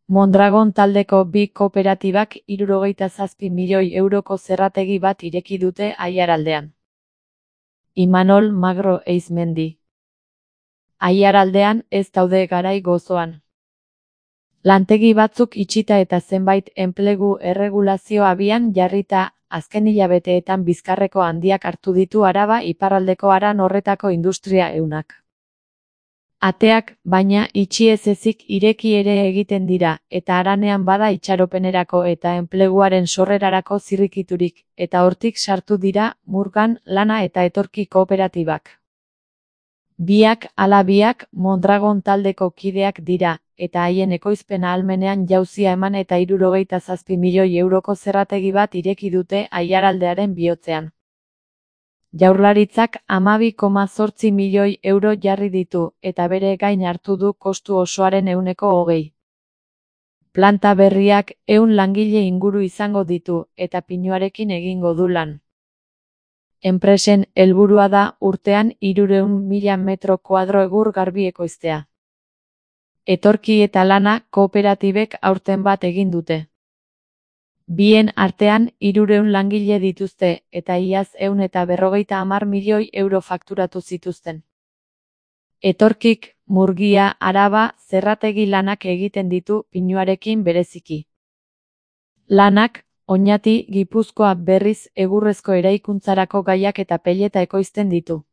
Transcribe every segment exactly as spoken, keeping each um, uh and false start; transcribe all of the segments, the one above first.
Mondragon taldeko bi kooperatibak hirurogeita zazpi milioi euroko zerrategi bat ireki dute Aiaraldean. Imanol Magro Eizmendi. Aiaraldean ez daude garai gozoan. Lantegi batzuk itxita eta zenbait enplegu erregulazio abian jarrita, azken hilabeteetan bizkarreko handiak hartu ditu Araba iparraldeko haran horretako industria ehunak. Ateak, baina, itxi ez ezik ireki ere egiten dira, eta haranean bada itxaropenerako eta enpleguaren sorrerarako zirrikiturik, eta hortik sartu dira, Murgan, Lana eta Etorki kooperatibak. Biak ala biak Mondragon taldeko kideak dira, eta haien ekoizpen ahalmenean jauzia eman eta hirurogeita zazpi milioi euroko zerrategi bat ireki dute Aiaraldearen bihotzean. Jaurlaritzak hamabi koma zortzi milioi euro jarri ditu, eta bere gain hartu du kostu osoaren ehuneko hogei. Planta berriak ehun langile inguru izango ditu, eta pinuarekin egingo du lan. Enpresen helburua da urtean hirurehun mila metro kuadro egur garbi ekoiztea. Etorki eta Lana kooperatibek aurten bat egin dute. Bien artean hirurehun langile dituzte, eta iaz ehun eta berrogeita hamar milioi euro fakturatu zituzten. Etorkik, Murgia, Araba, zerrategi lanak egiten ditu pinuarekin bereziki. Lanak, Oñati, Gipuzkoa berriz egurrezko eraikuntzarako gaiak eta peleta ekoizten ditu.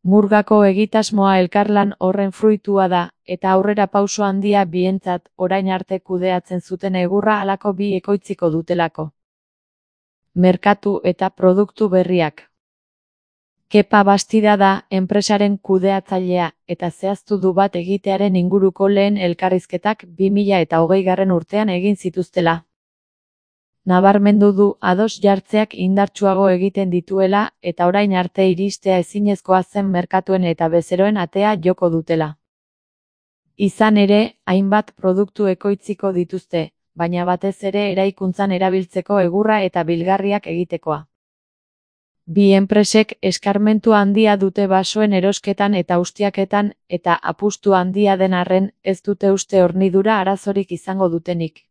Murgako egitasmoa elkarlan horren fruitua da, eta aurrera pauso handia bientzat, orain arte kudeatzen zuten egurra halako bi ekoitziko dutelako. Merkatu eta produktu berriak. Kepa Bastida da enpresaren kudeatzailea, eta zehaztu du bat egitearen inguruko lehen elkarrizketak bi mila eta hogeigarren urtean egin zituztela. Nabarmendu du ados jartzeak indartsuago egiten dituela, eta orain arte iristea ezinezkoa zen merkatuen eta bezeroen atea joko dutela. Izan ere, hainbat produktu ekoitziko dituzte, baina batez ere eraikuntzan erabiltzeko egurra eta bilgarriak egitekoa. Bi enpresek eskarmentu handia dute basoen erosketan eta ustiaketan, eta apustu handia den arren, ez dute uste hornidura arazorik izango dutenik.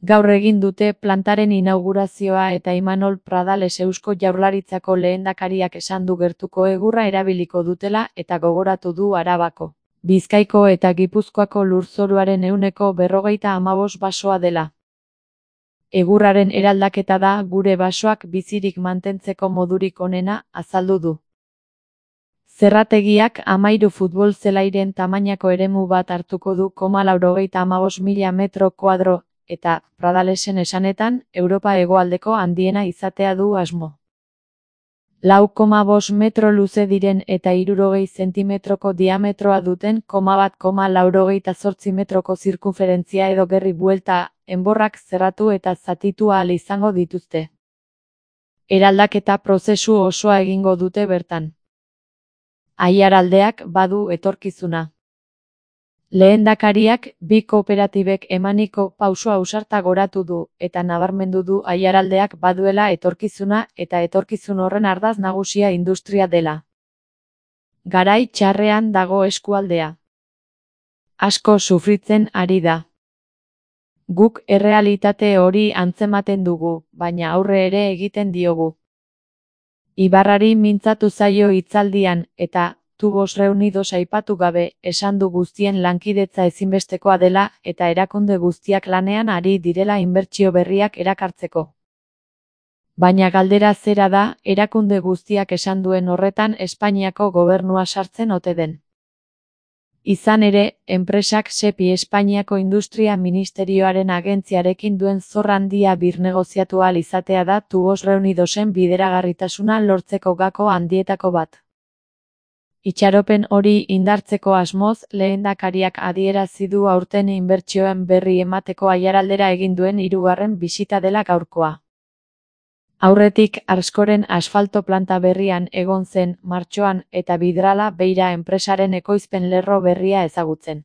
Gaur egin dute plantaren inaugurazioa eta Imanol Pradales Eusko Jaurlaritzako lehendakariak esan du gertuko egurra erabiliko dutela eta gogoratu du Arabako, Bizkaiko eta Gipuzkoako lurzoruaren ehuneko berrogeita hamabost basoa dela. Egurraren eraldaketa da gure basoak bizirik mantentzeko modurik onena, azaldu du. Zerrategiak hamahiru futbol zelairen tamainako eremu bat hartuko du koma laurogeita hamabost mila metro kuadro, eta, Pradalesen esanetan, Europa hegoaldeko handiena izatea du asmo. Lau koma bost metro luze diren eta hirurogei zentimetroko diametroa duten koma bat koma laurogeita zortzi metroko zirkunferentzia edo gerri buelta, enborrak zerratu eta zatitu ahal izango dituzte. Eraldaketa prozesu osoa egingo dute bertan. Aiaraldeak badu etorkizuna. Lehendakariak bi kooperatibek emaniko pauso ausarta goratu du, eta nabarmendu du Aiaraldeak baduela etorkizuna eta etorkizun horren ardatz nagusia industria dela. Garai txarrean dago eskualdea. Asko sufritzen ari da. Guk errealitate hori antzematen dugu, baina aurre ere egiten diogu. Ibarrari mintzatu zaio hitzaldian, eta Tubos Reunidos aipatu gabe, esan du guztien lankidetza ezinbestekoa dela eta erakunde guztiak lanean ari direla inbertsio berriak erakartzeko. Baina galdera zera da, erakunde guztiak esan duen horretan Espainiako gobernua sartzen ote den. Izan ere, enpresak SEPI Espainiako Industria Ministerioaren agentziarekin duen zor handia birnegoziatu ahal izatea da Tubos Reunidosen bideragarritasuna lortzeko gako handietako bat. Itxaropen hori indartzeko asmoz, lehendakariak adierazi du aurten inbertsioen berri emateko Aiaraldera egin duen hirugarren bisita dela gaurkoa. Aurretik, Arskoren asfalto planta berrian egon zen martxoan eta Vidrala Beira enpresaren ekoizpen lerro berria ezagutzen.